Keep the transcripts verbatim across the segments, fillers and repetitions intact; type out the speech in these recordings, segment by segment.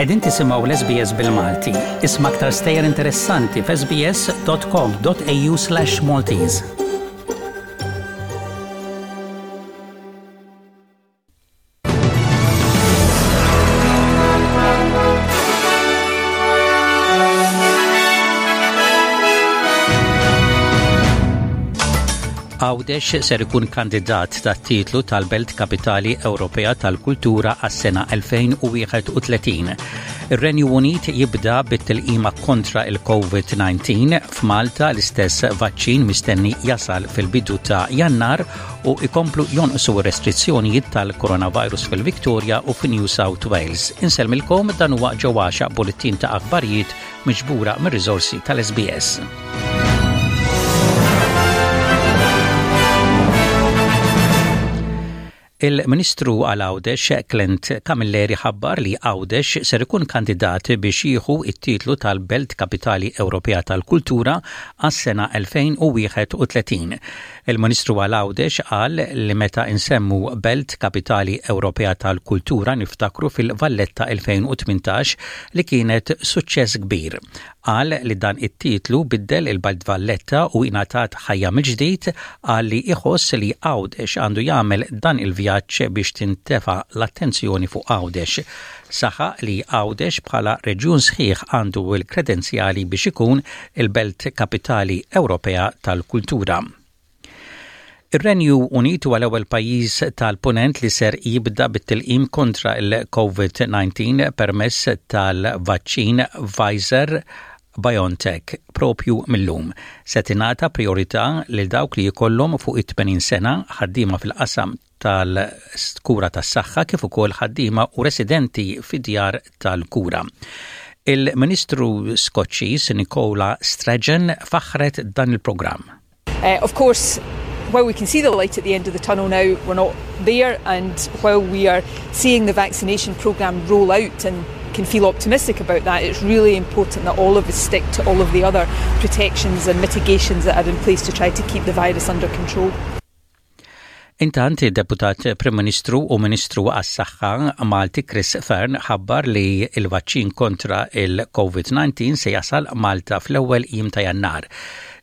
Qegħdin tisimgħu l-S B S bil-Malti. Isma' aktar stejjer interessanti f'S B S dot com dot A U slash Maltese. Għawdex ser ikun kandidat tat-titlu tal-Belt Kapitali Ewropea tal-Kultura għas-sena elfejn u wieħed u tletin. Ir-Renju Unit jibda bit-tilqima kontra il-COVID disa. F'Malta l-istess vaċċin mistenni jasal fil-bidu ta' Jannar u ikomplu jonqsu restrizzjonijiet tal-coronavirus fil-Victoria u fi New South Wales. Insellmilkom, dan huwa ġewwaxa bulletin ta' aħbarijiet miġbura mir-riżorsi tal-S B S. Il-Ministru għal Għawdex Clint Camilleri ħabbar li Għawdex ser ikun kandidat biex jieħu it-titlu tal-Belt Kapitali Ewropea tal-Kultura għas-sena elfejn u wieħed u tletin. Il-Ministru għal Għawdex qal li meta insemmu Belt Kapitali Ewropea tal-Kultura niftakru fil-Valletta elfejn u tmintax li kienet suċċess kbir. Qal li dan it-titlu biddel il-Belt Valletta u ingħatat ħajja mill-ġdid. Qal li iħoss li Għawdex għandu jagħmel dan il-vjaġġ biex tintefa l-attenzjoni fuq Għawdex. Saħaq li Għawdex bħala reġjun sħiħ għandu l-kredenzjali biex ikun il-Belt Kapitali Ewropea tal-Kultura. Ir-Renju Unit huwa l-ewwel pajjiż tal-punent li ser jibda bit-tilqim kontra il-COVID disa permezz tal-vaċċin Pfizer BioNTech propju mill-lum. Se tingħata priorità lil dawk li jkollhom fuq it-tmenin sena, ħaddiema fil-qasam tal-kura tas-saħħa kif ukoll ħaddiema u residenti fid-djar tal-kura. Il-Ministru Skoċċiż Nicola Sturgeon faħret dan il-programm. Uh, of course, while we can see the light at the end of the tunnel now, we're not there. And while we are seeing the vaccination programme roll out and can feel optimistic about that, it's really important that all of us stick to all of the other protections and mitigations that are in place to try to keep the virus under control. Intant, id-Deputat Prim Ministru u Ministru għas-Saħħa Malti Chris Fearne ħabbar li il-vaċċin kontra il-COVID disa se jasal Malta fl-ewwel jiem ta' Jannar.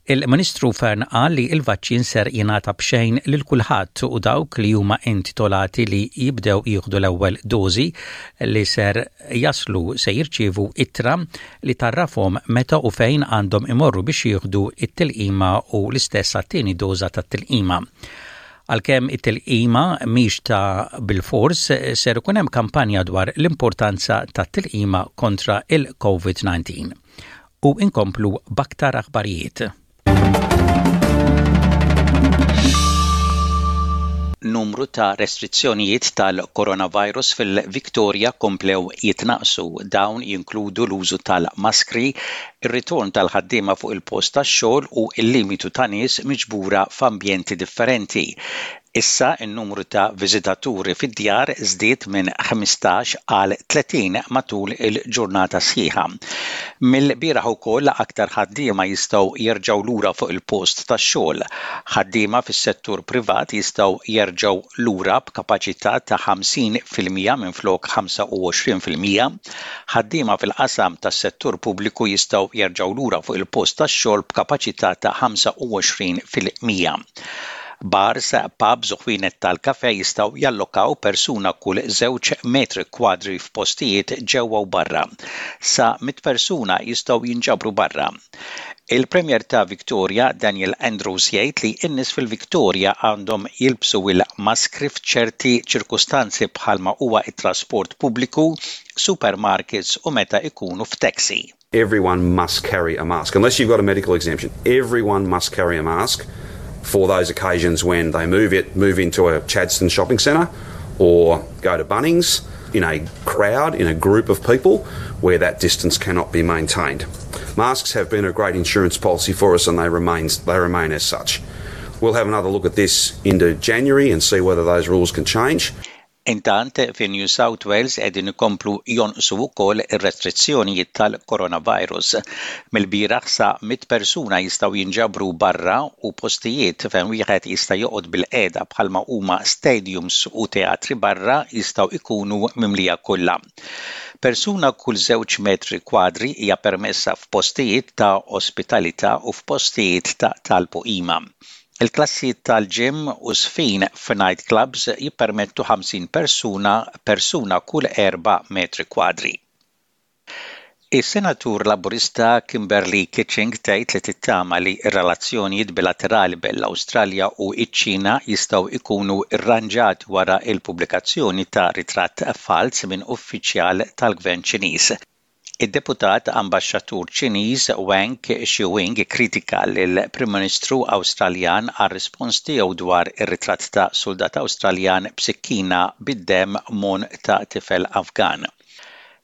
Il-Ministru Fearne qal li il-vaċċin ser jingħata b'xejn lil kulħadd u dawk li huma intitolati li jibdew jieħdu l-ewwel dożi li ser jaslu se jirċievu ittra li tgħarrafhom meta u fejn għandhom imorru biex jieħdu it-tilqima u l-istess għat-tieni doża tat-tilqima. Għalkemm it-tilqima mhix ta' bil-fors, ser ikun hemm kampanja dwar l-importanza tat-tilqima kontra il-COVID disa. U inkomplu b'aktar aħbarijiet. Numru ta' restrizzjonijiet tal-coronavirus fil-Victoria komplew jitnaqsu. Dawn jinkludu l-użu tal-maskri, ir-ritorn tal-ħaddiema fuq il-post tax-xogħol u l-limitu ta' nies miġbura f'ambjenti differenti. Issa n-numru ta' viżitaturi fid-djar żdied minn ħmistax għal tletin matul il-ġurnata sħiħa. Mill-bieraħ ukoll aktar ħaddiema jistgħu jerġgħu lura fuq il-post tax-xogħol. Ħaddiema fis-settur privat jistgħu jerġgħu lura b'kapaċità ta' ħamsin fil-mija minflok ħamsa u għoxrin fil-mija. Ħaddiema fil-qasam tas-settur pubbliku jistgħu jerġgħu lura fuq il-post tax-xogħol b'kapaċità ta' ħamsa u għoxrin fil-mija. Bars, pubs u ħwienet tal-kafe jistgħu jallokaw persuna kull żewġ metri kwadri f'postijiet ġewwa u barra. Sa mit persuna jistgħu jinġabru barra. Il-Premier ta' Victoria, Daniel Andrews, jgħid li n-nies fil-Victoria għandhom jilbsu il-maskri f'ċerti ċirkustanzi bħalma huwa it-trasport pubbliku, supermarkets u meta ikunu f'taxi. Everyone must carry a mask. Unless you've got a medical exemption, everyone must carry a mask for those occasions when they move it, move into a Chadstone shopping centre or go to Bunnings in a crowd, in a group of people where that distance cannot be maintained. Masks have been a great insurance policy for us and they remain, they remain as such. We'll have another look at this into January and see whether those rules can change. Intant, fi New South Wales qegħdin ikomplu jonqsu wkoll ir-restrizzjonijiet tal-coronavirus. Mill-bieraħ sa mit persuna jistgħu jinġabru barra u postijiet fejn wieħed jista' joqgħod bil-qiegħda bħalma huma stadiums u teatri barra jistgħu ikunu mimlija kollha. Persuna kull żewġ metri kwadri hija permessa f'postijiet ta' ospitalità u f'postijiet ta' talb u qima. Il-klassijiet tal-gym u żfin f'night clubs jippermettu ħamsin persuna, persuna kull erba' metri kwadri. Is-Senatur Laburista Kimberley Kitching tgħid li tittama li r-relazzjonijiet bilaterali bejn l-Awstralja u ċ-Ċina jistgħu jkunu rranġati wara l-pubblikazzjoni ta' ritratt fals minn uffiċjal tal-Gvern Ċiniż. Id-deputat ambaxxatur Ċiniż Wang Xiwing kritika lill-Prim Ministru Awstraljan għar-rispons tiegħu dwar ir-ritratt ta' soldat Awstraljan b'sikkina bid-dem m'għonq ta' tifel Afgan.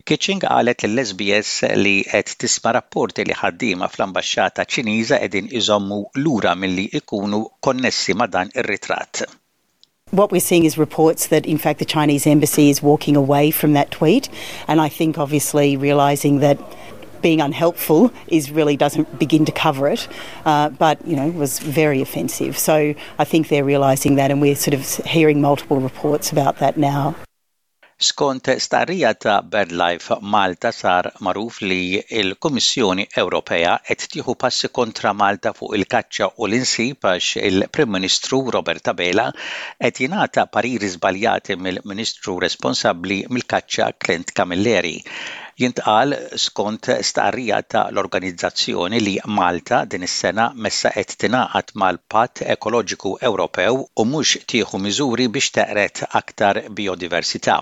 Kitching qalet lill-S B S li qed tisma' rapporti li ħaddiema fl-ambaxxata Ċiniża qegħdin iżommu lura milli ikunu konnessi ma' dan ir-ritratt. What we're seeing is reports that, in fact, the Chinese embassy is walking away from that tweet. And I think, obviously, realising that being unhelpful is really doesn't begin to cover it, uh, but you know, was very offensive. So I think they're realising that, and we're sort of hearing multiple reports about that now. Skont stqarrija ta' BirdLife Malta, sar magħruf li l-Kummissjoni Ewropea qed tieħu passi kontra Malta fuq il-kaċċa u l-insib għax il-Prim Ministru Robert Abela qed jingħata pariri żbaljati mill-Ministru responsabbli mill-kaċċa, Clint Camilleri. Jintqal skont stqarrija ta' l-organizzazzjoni li Malta din is-sena messa qed tingħaqad mal-Patt Ekoloġiku Ewropew u mhux tieħu miżuri biex teqred aktar biodiversità.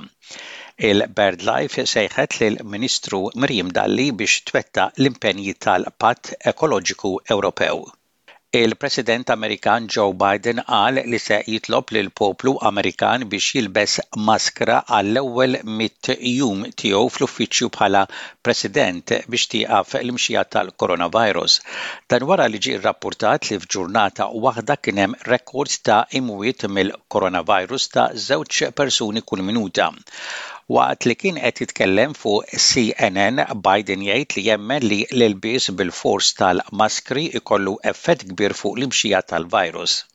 Il-BirdLife sejħet lill-Ministru Miriam Dalli biex twettaq l-impenji tal-Patt Ekoloġiku Ewropew. Il-President Amerikan Joe Biden qal li se jitlob lil poplu Amerikan biex jilbes maskra għall-ewwel mitt jum tiegħu fl-uffiċċju bħala President biex tieqaf l-imxija tal-coronavirus. Dan wara li ġie rrappurtat li f'ġurnata waħda kien hemm rekord ta' imwiet mill-coronavirus ta' żewġ persuni kull minuta. Waqt li kien qed jitkellem fuq C N N, Biden jgħid li jemmen li l-ilbies bil-fors tal-maskri ikollu effett kbir fuq l-imxija tal-virus.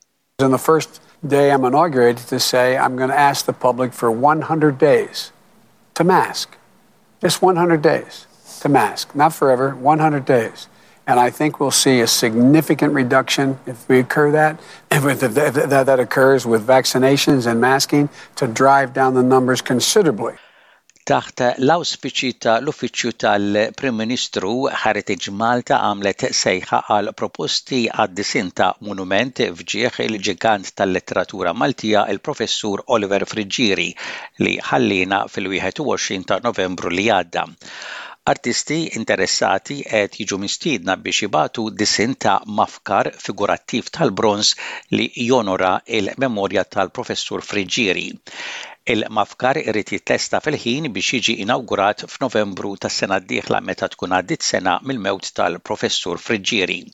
On the first day I'm inaugurated, to say I'm going to ask the public for one hundred days to mask. Just one hundred days to mask, not forever, one hundred days. And I think we'll see a significant reduction if we occur that, if, if, if that, that occurs with vaccinations and masking to drive down the numbers considerably. Taħt l-awspiċi ta' l-Uffiċċju tal-Prim Ministru, Heritage Malta għamlet sejħa għal proposti għad-disinn ta' monument f'ġieħ il-ġigant tal-letteratura Maltija, il-Professur Oliver Friggieri, li ħallina fil-wieħed u għoxrin ta' Novembru li għadda. Artisti interessati qed jiġu mistiedna biex jibagħtu disinn ta' mafkar figurattiv tal-bronż li jonora il-memorja tal-Professur Friggieri. Il-mafkar irid jitlesta fil-ħin biex jiġi inawgurat f'Novembru tas-sena d-dieħla, meta tkun għaddit sena mill-mewt tal-Professur Friggieri.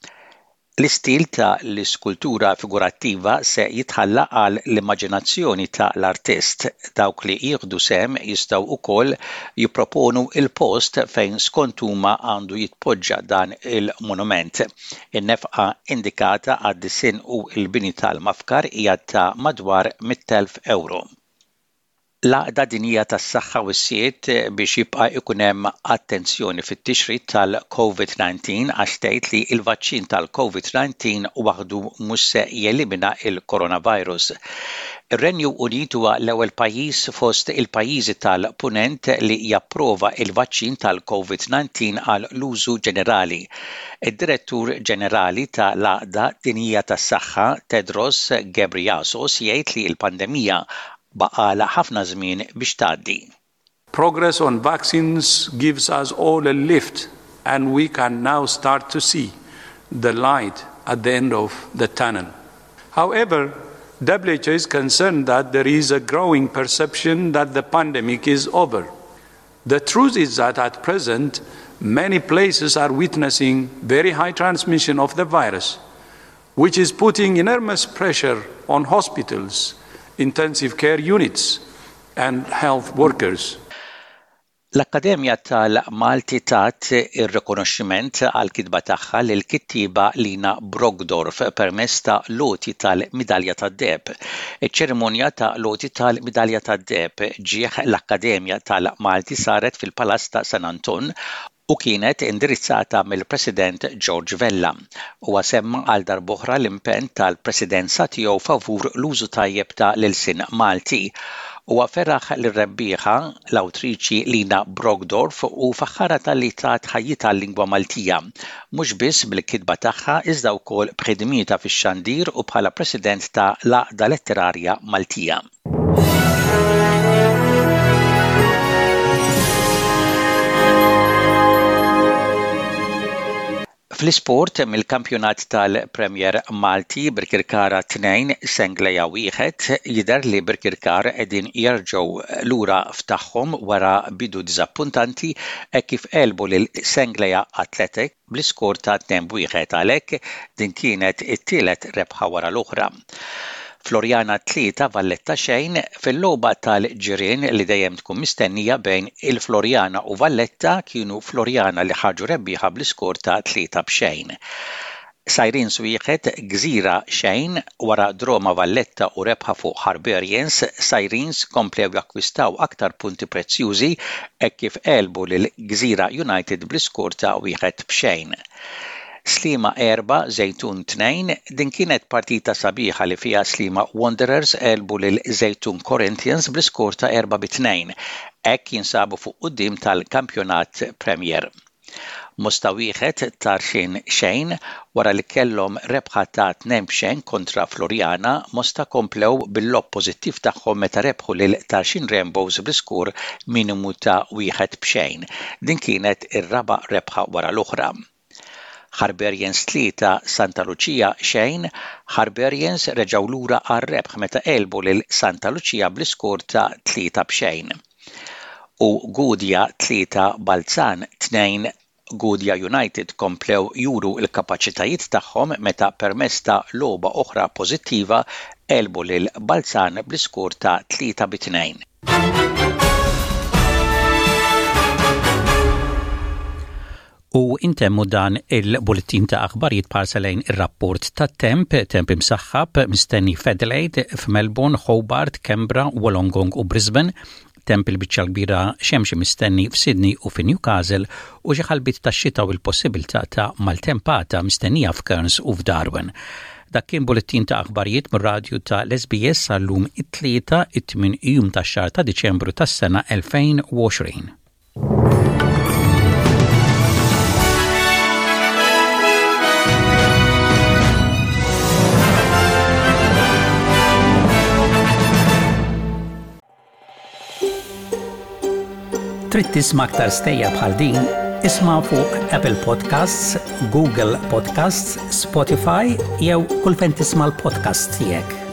L-istil ta' l-iskultura figurattiva se jitħalla għal l-immaġinazzjoni ta' l-artist. Dawk li jieħdu sehem jistgħu wkoll jipproponu il-post fejn skont huma għandu jitpoġġa dan il-monument. In-nefqa indikata għad-disinn u l-bini tal-mafkar hija ta' madwar mitt elf euro. L-Għaqda Dinjija tas-Saħħa wissiet biex jibqa' ikun hemm attenzjoni fit-tixrid tal-COVID nineteen għax tgħid li l-vaċċin tal-COVID nineteen waħdu mhux se jelimina il-coronavirus. Ir-Renju Unit huwa l-ewwel pajjiż fost il-pajjiżi tal-Punent li japprova il-vaċċin tal-COVID nineteen għal l-użu ġenerali. Id-Direttur Ġenerali ta' l-Għaqda Dinjija tas-Saħħa, Tedros Ghebreyesus, jgħid li l-pandemija baqagħlha ħafna żmien biex tgħaddi. Progress on vaccines gives us all a lift, and we can now start to see the light at the end of the tunnel. However, W H O is concerned that there is a growing perception that the pandemic is over. The truth is that at present, many places are witnessing very high transmission of the virus, which is putting enormous pressure on hospitals, intensive care units, and health workers. L-Akkademja tal-Malti tat ir-rikonoxximent għall-kitba tagħha lil kittieba Lina Brockdorff permezz ta' l-għoti tal-Midalja tad-Deheb. Iċ-ċerimonja ta' l-għoti tal-Midalja tad-Deheb ġieħ l-Akkademja tal-Malti saret fil-Palazz ta' San Anton u kienet indirizzata mill-President George Vella. Huwa semma għal darb'oħra l-impenn tal-presidenza tiegħu favur l-użu tajjeb ta' l-ilsien Malti. Huwa feraħ lir-rebbieħa l-awtriċi Lina Brockdorff u faħħarha talli tat ħajjitha l-lingwa Maltija, mhux biss bil-kitba tagħha iżda wkoll b'ħidmietha fix-xandir u bħala President ta' l-Għaqda Letterarja Maltija. Fl-isport mill-kampjonat tal-Premier Malti Birkirkara tnejn Senglea wieħed jidher li Birkirkara qegħdin jerġgħu lura f'tagħhom wara bidu diżappuntanti hekk kif għelbu lil Senglea Athletic bl-iskor ta' tnejn b'wieħed għalhekk din kienet it-tielet rebħa wara l-oħra. Floriana tlieta Valletta xejn fil-logħba tal-ġirien li dejjem tkun mistennija bejn il-Floriana u Valletta kienu Floriana li ħarġu rebbieħa bl-iskor ta' tlieta b'xejn. Sirens wieħed Gżira xejn wara draw ma' Valletta u rebħa fuq Harbarians, Sirens komplew jakkwistaw aktar punti prezzjużi hekk kif għelbu lil Gżira United bl-iskor ta' wieħed b'xejn. Sliema erba' Żejtun tnejn din kienet partita sabiħa li fiha Sliema Wanderers għelbu lil Żejtun Corinthians bl-iskor ta' erba' bi tnejn. Hekk jinsabu fuq quddiem tal-kampjonat Premier. Mosta wieħed Tarxien xejn wara li kellhom rebħa ta' tnejn b'xejn kontra Floriana, Mosta komplew bil-logħob pożittiv tagħhom meta rebħu lil Tarxien Rainbows bl-iskur minimu ta' wieħed b'xejn. Din kienet ir-raba' rebħa wara l-oħra. Harbarians tlieta Santa Lucia xejn, Harbarians reġgħu lura għar-rebħ meta għelbu lil Santa Lucia bl-iskor ta' tlieta b'xejn. U Gudja tlieta Balzan tnejn Gudja United komplew juru l-kapaċitajiet tagħhom meta permezz ta' logħba oħra pożittiva għelbu lil Balzan bl-iskor ta' tlieta bi tnejn. U intemmu dan il-bulletin ta' aħbarijiet b'ħarsa lejn ir-rapport tat-temp, temp imsaħħab mistenni f'Adelaide, f'Melbourne, Hobart, Canberra, Wollongong u Brisbane, temp il-biċċa kbira xemxi mistenni f'Sydney u fi Newcastle u xi ħalbiet ta' xita u l-possibilità ta' maltempata mistennija f'Cairns u f'Darwin. Dak kien bulletin ta' aħbarijiet mir-radju ta' l-SBS għal-lum it-tlieta it-tmien jum tax-xahar ta' Diċembru tas-sena elfejn u għoxrin. Trid tisma' aktar stejjer bħal din? Isma' fuq Apple Podcasts, Google Podcasts, Spotify jew kull fejn tisma' l-podcasts tiegħek.